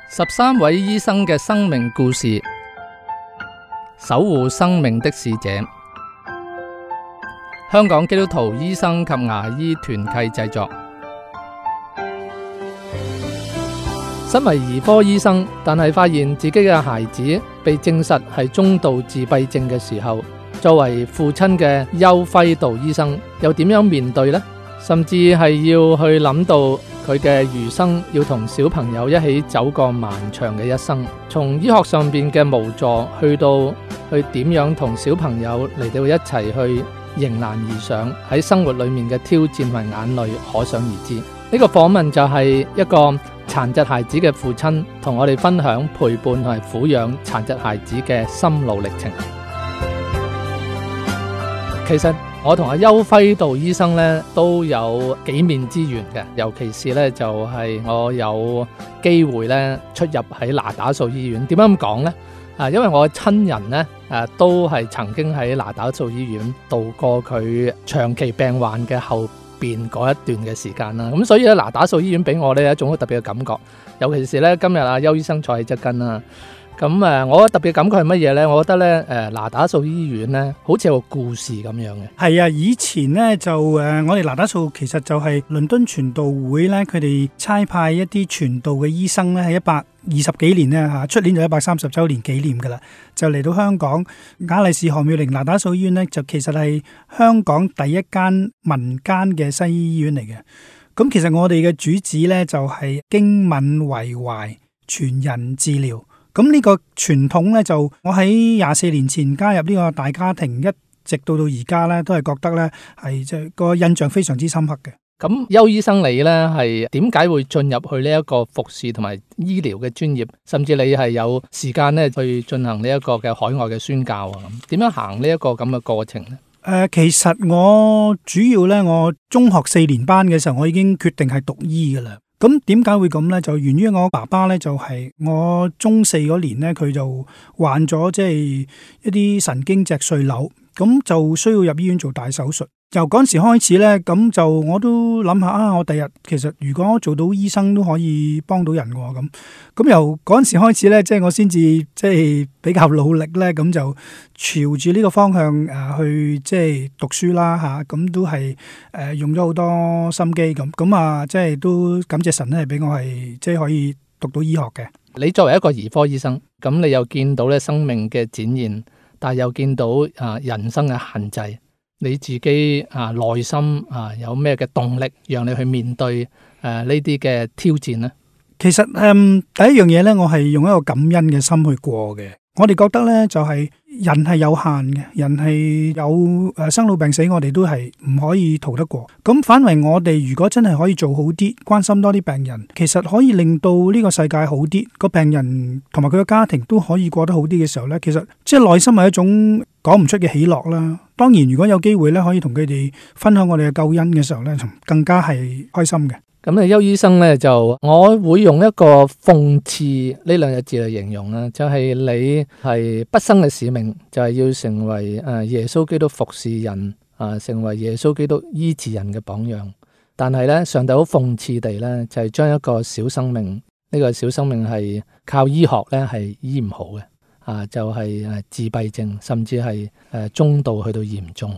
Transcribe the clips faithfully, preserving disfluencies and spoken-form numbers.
十三位醫生嘅生命故事，守護生命的使者。香港基督徒醫生及牙醫團契製作。身為兒科醫生，但係發現自己嘅孩子被證實係中度自閉症嘅時候，作為父親嘅邱輝道醫生又點樣面對呢？甚至係要去諗到佢嘅餘生要同小朋友一起走過漫長嘅一生，從醫學上邊嘅無助去到去點樣同小朋友嚟到一齊去迎難而上，喺生活裏面嘅挑戰同眼淚可想而知。呢個訪問就係一個殘疾孩子嘅父親同我哋分享陪伴同埋撫養殘疾孩子嘅心路歷程。其實我同阿邱輝道醫生咧都有幾面之緣嘅，尤其是咧就係我有機會咧出入喺那打素醫院。點樣咁講呢？啊，因為我嘅親人咧誒都係曾經喺那打素醫院度過佢長期病患嘅後邊嗰一段嘅時間啦。咁所以咧那打素醫院俾我咧一種好特別嘅感覺，尤其是咧今日阿邱醫生坐喺側跟啦。咁誒，我特別感覺係乜嘢呢？我覺得咧，誒那打素醫院咧，好似有個故事咁樣嘅。係啊，以前咧就誒，我哋那打素其實就係倫敦傳道會咧，佢哋差派一啲傳道嘅醫生咧，喺一百二十幾年咧嚇，出年就一百三十週年紀念噶啦，就嚟到香港雅麗氏何妙齡那打素醫院咧，就其實係香港第一間民間嘅西醫醫院嚟嘅。咁其實我哋嘅主旨咧就係經敏為懷，全人治療。咁呢個傳統咧，就我喺廿四年前加入呢個大家庭，一直到到而家咧，都係覺得咧係即係個印象非常之深刻嘅。咁邱醫生你咧係點解會進入去呢一個服侍同埋醫療嘅專業，甚至你係有時間咧去進行呢一個嘅海外嘅宣教啊？咁點樣行呢一個咁嘅過程咧？誒、呃，其實我主要咧，我中學四年班嘅時候，我已經決定係讀醫噶啦。咁點解會咁呢？就源於我爸爸呢，就係我中四嗰年呢，佢就患咗即係一啲神經脊髓瘤，咁就需要入醫院做大手術。由嗰陣時開始呢，咁就我都諗下啊，我第日其實如果做到醫生都可以幫到人喎。咁咁由嗰陣時開始呢，即係我先至即係比較努力呢，咁就朝住呢個方向誒去即係讀書啦嚇，咁都係誒用咗好多心機咁，咁啊即係都感謝神咧，係俾我係即係可以讀到醫學嘅。你作為一個兒科醫生，咁你又見到咧生命嘅展現，但係又見到啊人生嘅限制。你自己啊內心啊有咩嘅動力，讓你去面對誒呢啲嘅挑戰呢？其實誒、嗯、第一樣嘢咧，我係用一個感恩嘅心去過嘅。我哋覺得咧就係、是、人係有限嘅，人係有誒生老病死，我哋都係唔可以逃得過。咁反為我哋如果真係可以做好啲，關心多啲病人，其實可以令到呢個世界好啲，個病人同埋佢嘅家庭都可以過得好啲嘅時候咧，其實即係內心係一種講唔出嘅喜樂啦。當然如果有機會咧，可以同佢哋分享我哋嘅救恩嘅時候咧，更加係開心嘅。咁啊，邱醫生咧就我會用一個諷刺呢兩個字嚟形容啦，就係、是、你係畢生嘅使命，就係、是、要成為誒耶穌基督服侍人啊，成為耶穌基督醫治人嘅榜樣。但係咧，上帝好諷刺地咧，就係、是、將一個小生命，呢、這個小生命係靠醫學咧係醫唔好嘅啊，就係、是、誒自閉症，甚至係誒中度去到嚴重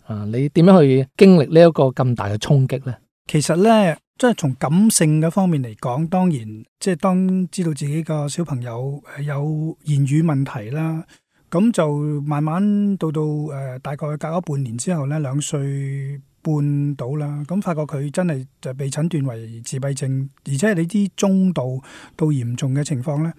啊。你點樣去經歷呢一個咁大嘅衝擊咧？其實咧。即係從感性嘅方面嚟講，當然即係當知道自己個小朋友有言語問題啦，咁就慢慢到到誒、呃、大概隔咗半年之後咧，兩歲半到啦，咁發覺佢真係就被診斷為自閉症，而且係呢啲中度到嚴重嘅情況咧，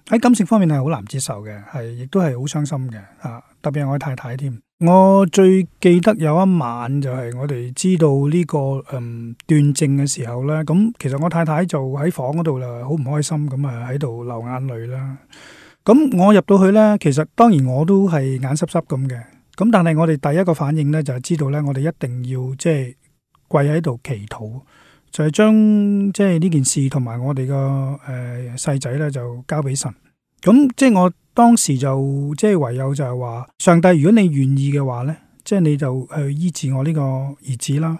喺感性方面係好難接受嘅，係亦都係好傷心嘅啊！特別係我太太添。我最記得有一晚就係我哋知道呢、這個嗯斷症嘅時候咧，咁其實我太太就喺房嗰度啦，好唔開心咁啊喺度流眼淚啦。咁我入到去咧，其實當然我都係眼濕濕咁嘅。咁但係我哋第一個反應咧就係知道咧，我哋一定要即係跪喺度祈禱，就係、是、將即係呢件事同埋我哋個誒細仔咧就交俾神。咁即係我當時就即係唯有就係話，上帝，如果你願意嘅話咧，即係你就去醫治我呢個兒子啦。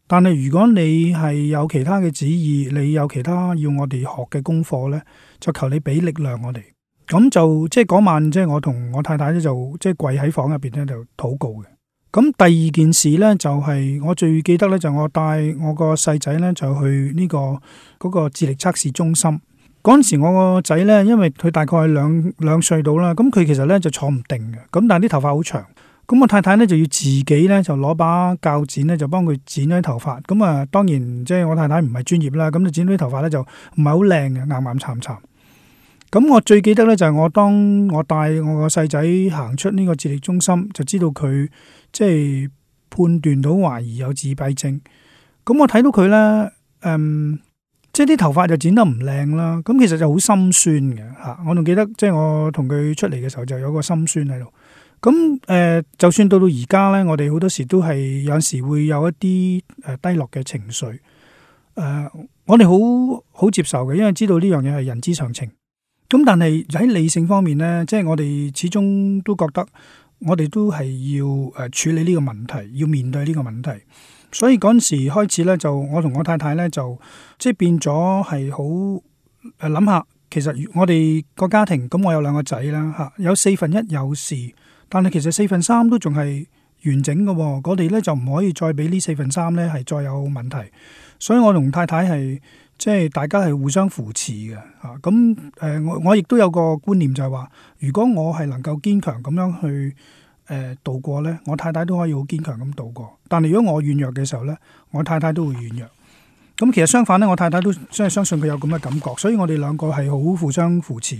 但係如果你係有其他嘅旨意，你有其他要我哋學嘅功課呢，就求你俾力量我哋。咁就即係嗰晚，即係我同我太太咧就即係跪喺房入邊咧就禱告嘅。咁第二件事呢，就係、是、我最記得呢，就我帶我個細仔呢，就去呢、這個嗰、那個智力測試中心。嗰陣時我個仔呢，因為佢大概兩兩歲到啦，咁佢其實呢就坐唔定嘅，咁但係啲頭髮好長，咁我太太呢，就要自己呢，就攞把鉸剪呢，就幫佢剪咗啲頭髮。咁啊當然即係我太太唔係專業啦，咁就剪咗啲頭髮呢，就唔係好靚嘅，岩岩巉巉。咁我最記得呢，就係我當我帶我個細仔行出呢個智力中心，就知道佢即係判斷到懷疑有自閉症。咁我睇到佢呢，嗯，即係啲頭髮就剪得唔靚啦。咁其實就好心酸嘅吓。我仲記得即係我同佢出嚟嘅時候就有個心酸喺度。咁誒、呃，就算到到而家呢，我哋好多時都係有時會有一啲誒低落嘅情緒。誒、呃，我哋好好接受嘅，因為知道呢樣嘢係人之常情。咁但係喺理性方面呢，即係我哋始終都覺得我哋都係要誒處理呢個問題，要面對呢個問題。所以嗰陣時開始呢，就我同我太太呢，就即係變咗係好誒諗下，其實我哋個家庭咁，我有兩個仔啦吓，有四分一有事，但係其實四分三都仲係完整嘅。我哋呢，就唔可以再俾呢四分三呢係再有問題。所以我同太太係。即係大家係互相扶持嘅嚇，咁、啊、誒、呃、我我亦都有個觀念就係話，如果我係能夠堅強咁樣去誒、呃、度過呢，我太太都可以好堅強咁度過。但係如果我軟弱嘅時候呢，我太太都會軟弱。咁其實相反呢，我太太都真係相信佢有咁嘅感覺，所以我哋兩個係好互相扶持。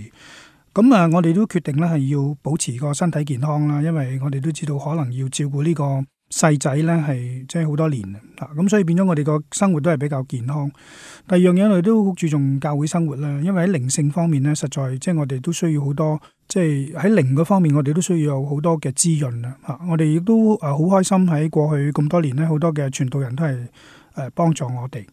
咁啊，我哋都決定呢係要保持個身體健康啦，因為我哋都知道可能要照顧呢個細仔咧係即係好多年啊，咁所以變咗我哋個生活都係比較健康。第二樣嘢我哋都好注重教會生活啦，因為喺靈性方面咧，實在即係我哋都需要好多，即係喺靈嗰方面我哋都需要有好多嘅滋潤啊！嚇，我哋亦都誒好開心喺過去咁多年咧，好多嘅傳道人都係誒幫助我哋。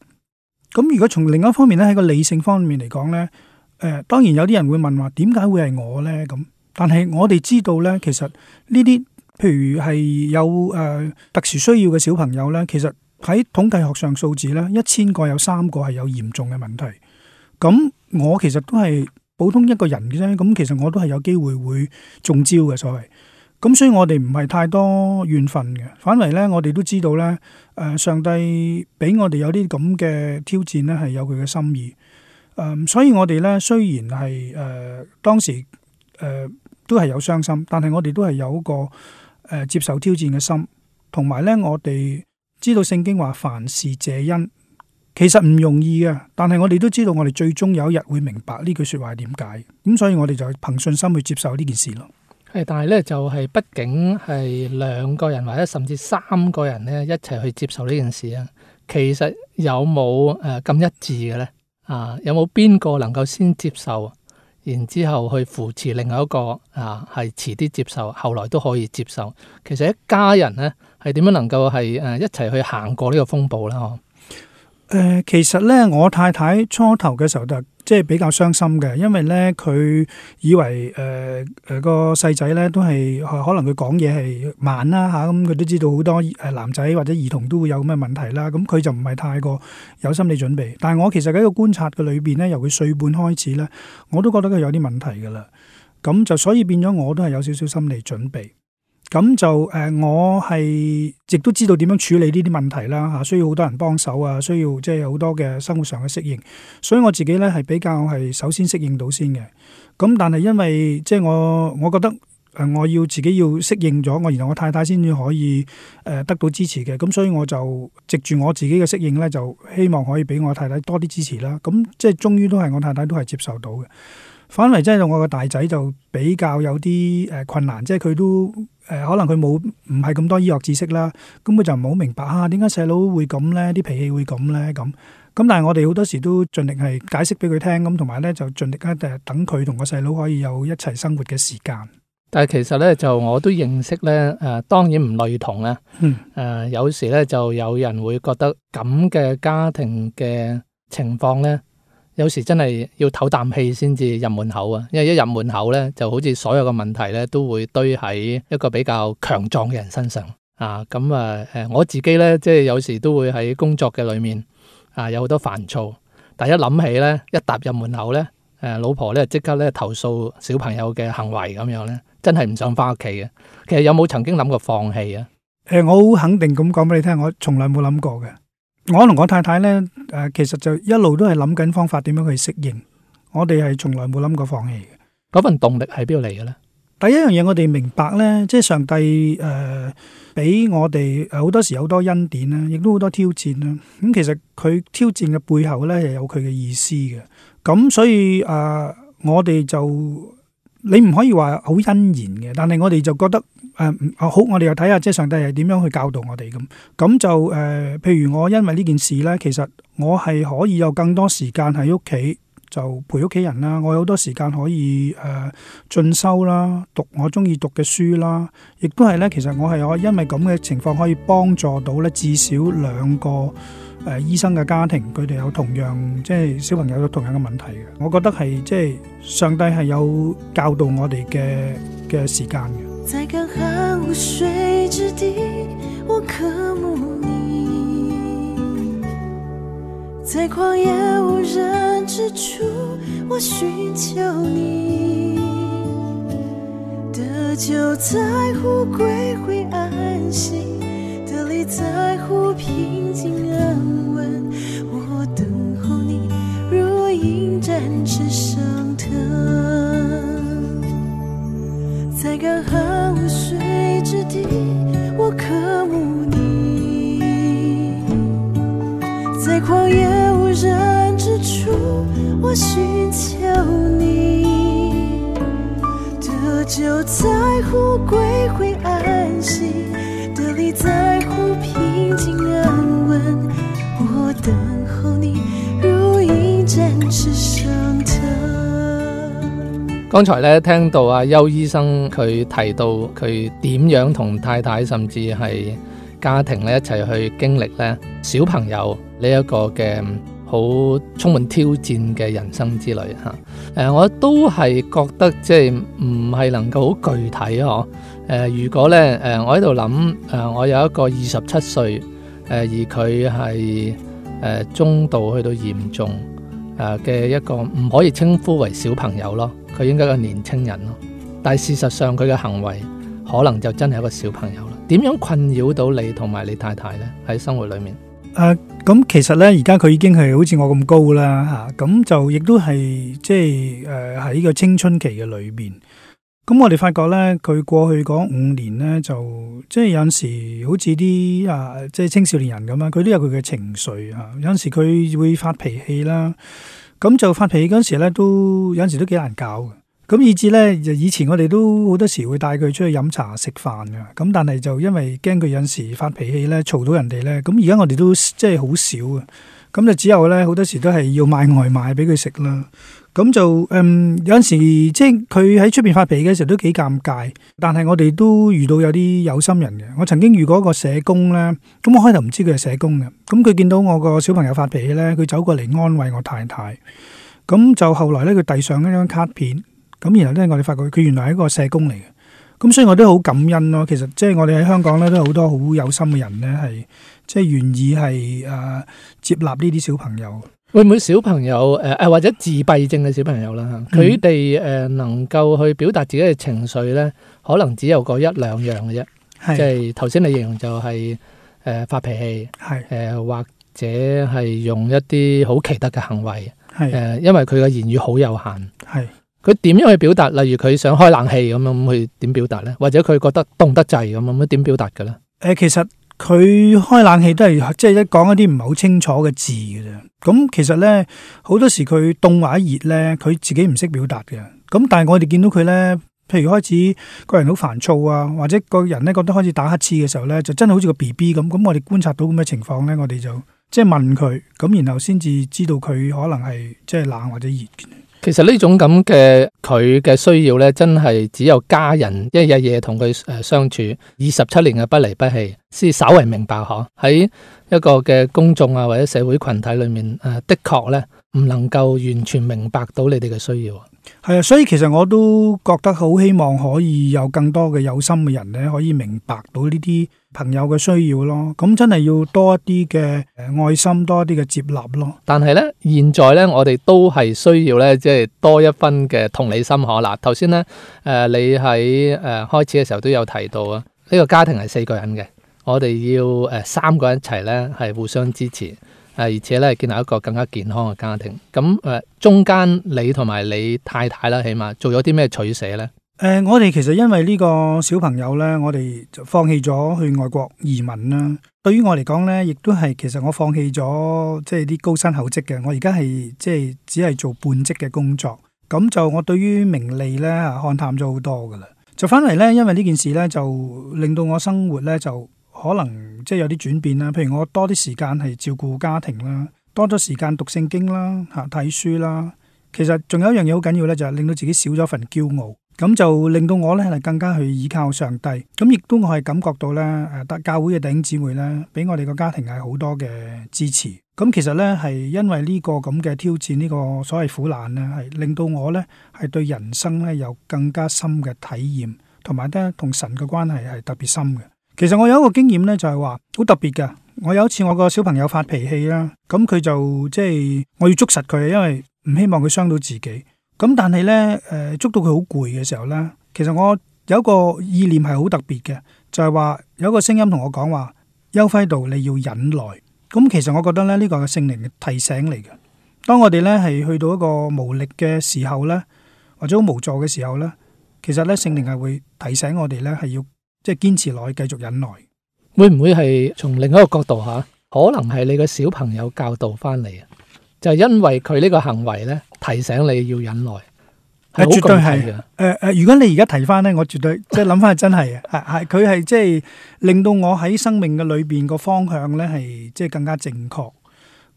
咁如果從另一方面咧，喺個理性方面嚟講咧，誒、呃、當然有啲人會問話點解會係我咧咁？但係我哋知道咧，其實呢啲譬如係有誒、呃、特殊需要嘅小朋友咧，其實喺統計學上數字咧，一千個有三個係有嚴重嘅問題。咁我其實都係普通一個人嘅啫，咁其實我都係有機會會中招嘅所謂。咁所以我哋唔係太多怨憤嘅，反為咧我哋都知道咧，誒、呃、上帝俾我哋有啲咁嘅挑戰咧係有佢嘅心意。誒、呃，所以我哋咧雖然係誒、呃、當時誒、呃、都係有傷心，但係我哋都係有一個。誒、呃，接受挑戰嘅心，同埋咧，我哋知道聖經話凡事謝恩，其實唔容易嘅。但係我哋都知道，我哋最終有一日會明白呢句說話係點解。咁所以我哋就憑信心去接受呢件事咯。係，但係咧就係、是，畢竟係兩個人或者甚至三個人咧一齊去接受呢件事啊。其實有冇誒咁一致嘅咧？啊，有冇邊個能夠先接受？然之後去扶持另外一個啊，係遲啲接受，後來都可以接受。其實一家人咧係點樣能夠係誒一齊去行過呢個風暴咧？嗬、呃？誒，其實咧我太太初頭嘅時候就即係比較傷心嘅，因為咧佢以為誒誒、呃呃、個細仔咧都係可能佢講嘢係慢啦嚇，咁、啊、佢都知道好多誒男仔或者兒童都會有咁嘅問題啦，咁、啊、佢就唔係太過有心理準備。但係我其實喺個觀察嘅裏邊咧，由佢歲半開始咧，我都覺得佢有啲問題㗎啦。咁就所以變咗我都係有少少心理準備。咁就誒、呃，我係亦都知道點樣處理呢啲問題啦嚇，需要好多人幫手啊，需要即係好多嘅生活上嘅適應，所以我自己咧係比較係首先適應到先嘅。咁但係因為即係我我覺得誒，我要自己要適應咗，我然後我太太先至可以誒得到支持嘅。咁所以我就藉住我自己嘅適應咧，就希望可以俾我太太多啲支持啦。咁即係終於都係我太太都係接受到嘅。反為即係我個大仔就比較有啲誒困難，即係佢都誒、呃、可能佢冇唔係咁多醫學知識啦，咁佢就唔好明白啊點解細佬會咁咧，啲脾氣會咁咧咁。咁但係我哋好多時都盡力係解釋俾佢聽，咁同埋咧就盡力咧誒等佢同個細佬可以有一齊生活嘅時間。但係其實咧就我都認識咧誒、呃，當然唔類同啦。嗯。誒、呃、有時咧就有人會覺得咁嘅家庭嘅情況咧。有時真係要唞啖氣先至入門口啊，因為一入門口咧，就好似所有嘅問題咧都會堆喺一個比較強壯嘅人身上。啊，咁啊誒我自己咧，即係有時都會喺工作嘅裏面啊，有好多煩躁。但一諗起咧，一踏入門口咧，誒老婆咧即刻咧投訴小朋友嘅行為咁樣咧，真係唔想翻屋企嘅。其實有冇曾經諗過放棄啊？誒、呃，我好肯定咁講俾你聽，我從來冇諗過嘅。我同我太太咧，誒、呃，其實就一路都係諗緊方法點樣去適應。我哋係從來冇諗過放棄嘅。嗰份動力喺邊度嚟嘅咧？第一樣嘢，我哋明白咧，即係上帝誒俾、呃、我哋好多時有好多恩典啦，亦都好多挑戰啦。咁、嗯、其實佢挑戰嘅背後咧，係有佢嘅意思嘅。咁所以誒、呃，我哋就你唔可以話好欣然嘅，但係我哋就覺得誒、呃、好，我哋又睇下即係上帝係點樣去教導我哋咁。咁就誒、呃，譬如我因為呢件事咧，其實我係可以有更多時間喺屋企。就陪屋企人啦，我有好多時間可以誒、呃、進修啦，讀我中意讀嘅書啦，亦都係咧。其實我係我因為咁嘅情況可以幫助到咧至少兩個誒、呃、醫生嘅家庭，佢哋有同樣即係小朋友有同樣嘅問題嘅。我覺得係即係上帝係有教導我哋嘅嘅時間嘅。在乾旱無水之地，我渴慕你；在曠野無人之處，我尋求你。得救在乎歸回安息，得力在乎平靜安穩。我等候你，如鷹展翅上騰。在乾旱無水之地，我渴慕你；在曠野無人之處，我尋求你。得救在乎歸回安息，得力在乎平靜安穩。我等候你，如鷹展翅上騰。剛才咧聽到阿邱醫生佢提到佢點樣同太太甚至係家庭咧一齊去經歷咧小朋友呢一個嘅好充滿挑戰嘅人生之旅吓。誒、呃，我都係覺得即係唔係能夠好具體嗬。誒、呃，如果咧誒、呃，我喺度諗誒，我有一個二十七歲誒，而佢係誒中度去到嚴重誒嘅一個唔可以稱呼為小朋友咯。佢應該係個年青人咯，但係事實上佢嘅行為可能就真係一個小朋友啦。點樣困擾到你同埋你太太呢？喺生活裏面？誒、呃，咁其實呢，而家佢已經係好似我咁高啦吓，咁、啊、就亦都係即係誒喺個青春期嘅裏邊。咁我哋發覺呢，佢過去嗰五年呢，就即係有陣時好似啲啊，即係青少年人咁樣，佢都有佢嘅情緒吓、啊。有陣時佢會發脾氣啦。咁就發脾氣嗰陣時咧，都有陣時都幾難搞嘅。咁以至咧，就以前我哋都好多時會帶佢出去飲茶食飯嘅。咁但係就因為驚佢有陣時發脾氣咧，嘈到人哋咧。咁而家我哋都即係好少嘅。咁就只有咧好多時都係要買外賣俾佢食啦。咁就嗯有陣時即係佢喺出邊發脾氣嘅時候都幾尷尬。但係我哋都遇到有啲有心人嘅。我曾經遇過一個社工咧，咁我開頭唔知佢係社工嘅。咁佢見到我個小朋友發脾氣咧，佢走過嚟安慰我太太。咁就後來咧，佢遞上一張卡片。咁然後咧，我哋發覺佢原來係一個社工嚟嘅。咁所以我都好感恩咯。其實即係我哋喺香港咧，都有好多好有心嘅人咧，係即係願意係誒、呃、接納呢啲小朋友。會唔會小朋友誒誒、呃、或者自閉症嘅小朋友啦？佢哋誒能夠去表達自己嘅情緒咧，可能只有個一兩樣嘅啫。即係頭先你形容就係、是、誒、呃、發脾氣，係誒、呃、或者係用一啲好奇特嘅行為，係誒、呃、因為佢嘅言語好有限，係佢點樣去表達？例如佢想開冷氣咁樣，咁佢點表達咧？或者佢覺得凍得滯咁樣，咁點表達嘅咧？誒、呃，其實佢開冷氣都係即係一講一啲唔係好清楚嘅字嘅啫。咁其實咧，好多時佢凍或者熱咧，佢自己唔識表達嘅。咁但係我哋見到佢咧，譬如開始個人好煩躁啊，或者個人咧覺得開始打乞嗤嘅時候咧，就真係好似個 B B 咁。咁我哋觀察到咁嘅情況咧，我哋就即係問佢，咁然後先至知道佢可能係即係冷或者熱嘅。其實呢種咁嘅佢嘅需要咧，真係只有家人一日夜同佢誒相處二十七年嘅不離不棄，先稍為明白嗬。喺一個嘅公眾啊或者社會群體裏面，誒的確咧唔能夠完全明白到你哋嘅需要。係啊，所以其實我都覺得好希望可以有更多嘅有心嘅人咧，可以明白到呢啲朋友嘅需要咯。咁真係要多一啲嘅誒愛心，多一啲嘅接納咯。但係咧，現在咧，我哋都係需要咧，即係多一分嘅同理心可嗱。頭先咧，誒你喺誒開始嘅時候都有提到啊，呢個家庭係四個人嘅，我哋要誒三個人一齊咧係互相支持，誒而且咧建立一個更加健康嘅家庭。咁誒中間你同埋你太太啦，起碼做咗啲咩取捨咧？誒、呃，我哋其實因為呢個小朋友呢，我哋就放棄咗去外國移民啦。對於我嚟講呢，亦都係其實我放棄咗即係啲高薪厚職嘅。我而家係即係只係做半職嘅工作。咁就我對於名利呢，看淡咗好多噶啦。就翻嚟呢，因為呢件事呢，就令到我生活呢，就可能即係有啲轉變啦。譬如我多啲時間係照顧家庭啦，多咗時間讀聖經啦，吓睇書啦。其實仲有一樣嘢好緊要呢，就係令到自己少咗份驕傲。咁就令到我咧係更加去依靠上帝，咁亦都我係感覺到咧，誒，得教會嘅弟兄姊妹咧，俾我哋個家庭係好多嘅支持。咁其實咧係因為呢個咁嘅挑戰，呢個所謂苦難咧，係令到我咧係對人生咧有更加深嘅體驗，同埋咧同神嘅關係係特別深嘅。其實我有一個經驗咧，就係話好特別嘅。我有一次我個小朋友發脾氣啦，咁佢就即係我要捉實佢，因為唔希望佢傷到自己。咁但係咧，誒、呃、捉到佢好攰嘅時候咧，其實我有一個意念係好特別嘅，就係、是、話有一個聲音同我講話，邱輝道你要忍耐。咁其實我覺得咧，呢、這個係聖靈嘅提醒嚟嘅。當我哋咧係去到一個無力嘅時候咧，或者好無助嘅時候咧，其實咧聖靈係會提醒我哋咧係要即係堅持落去，繼續忍耐。會唔會係從另一個角度吓，可能係你個小朋友教導翻嚟啊？就係因為佢呢個行為咧，提醒你要忍耐，係絕對係嘅。誒誒，如果你而家提翻咧，我絕對即係諗翻係真係嘅，係係佢係即係令到我喺生命嘅裏邊個方向咧係即係更加正確。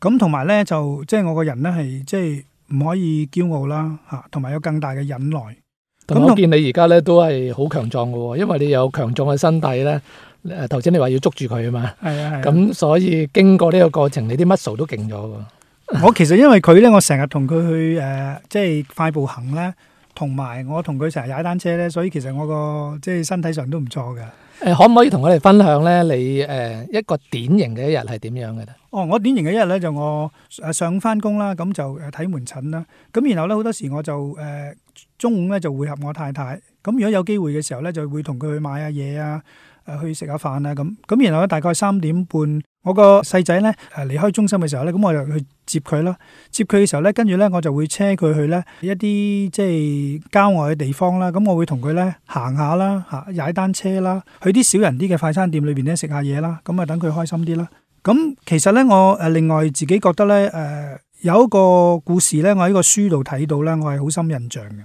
咁同埋咧就即係我個人咧係即係唔可以驕傲啦嚇，同埋有更大嘅忍耐。咁我見你而家咧都係好強壯嘅喎，因為你有強壯嘅身體咧。誒頭先你話要捉住佢啊嘛，係啊係。咁所以經過呢個過程，你啲 muscle 都勁咗喎。我其實因為佢咧，我成日同佢去誒、呃，即係快步行咧，同埋我同佢成日踩單車咧，所以其實我個即係身體上都唔錯嘅。誒、呃，可唔可以同我哋分享咧？你誒、呃、一個典型嘅一日係點樣嘅咧？哦，我典型嘅一日咧就我誒上翻工啦，咁就誒睇門診啦。咁然後咧好多時我就誒、呃、中午咧就會合我太太。咁如果有機會嘅時候咧，就會同佢去買下嘢啊。誒去食下飯啊咁，咁然後咧大概三點半，我個細仔咧誒離開中心嘅時候咧，咁我就去接佢啦。接佢嘅時候咧，跟住咧我就會車佢去咧一啲即係郊外嘅地方啦。咁我會同佢咧行下啦，嚇踩單車啦，去啲少人啲嘅快餐店裏邊咧食下嘢啦。咁啊等佢開心啲啦。咁其實咧我誒另外自己覺得咧誒、呃、有一個故事咧，我喺個書度睇到咧，我係好深印象嘅。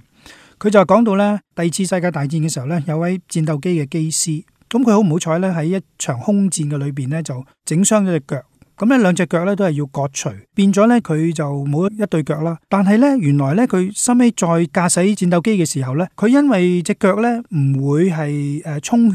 佢就講到咧第二次世界大戰嘅時候咧，有位戰鬥機嘅機師。咁佢好唔好彩咧？喺一場空戰嘅裏邊咧，就整傷咗隻腳。咁咧兩隻腳咧都係要割除，變咗咧佢就冇一對腳啦。但係咧原來咧佢收尾再駕駛戰鬥機嘅時候咧，佢因為隻腳咧唔會係誒充血。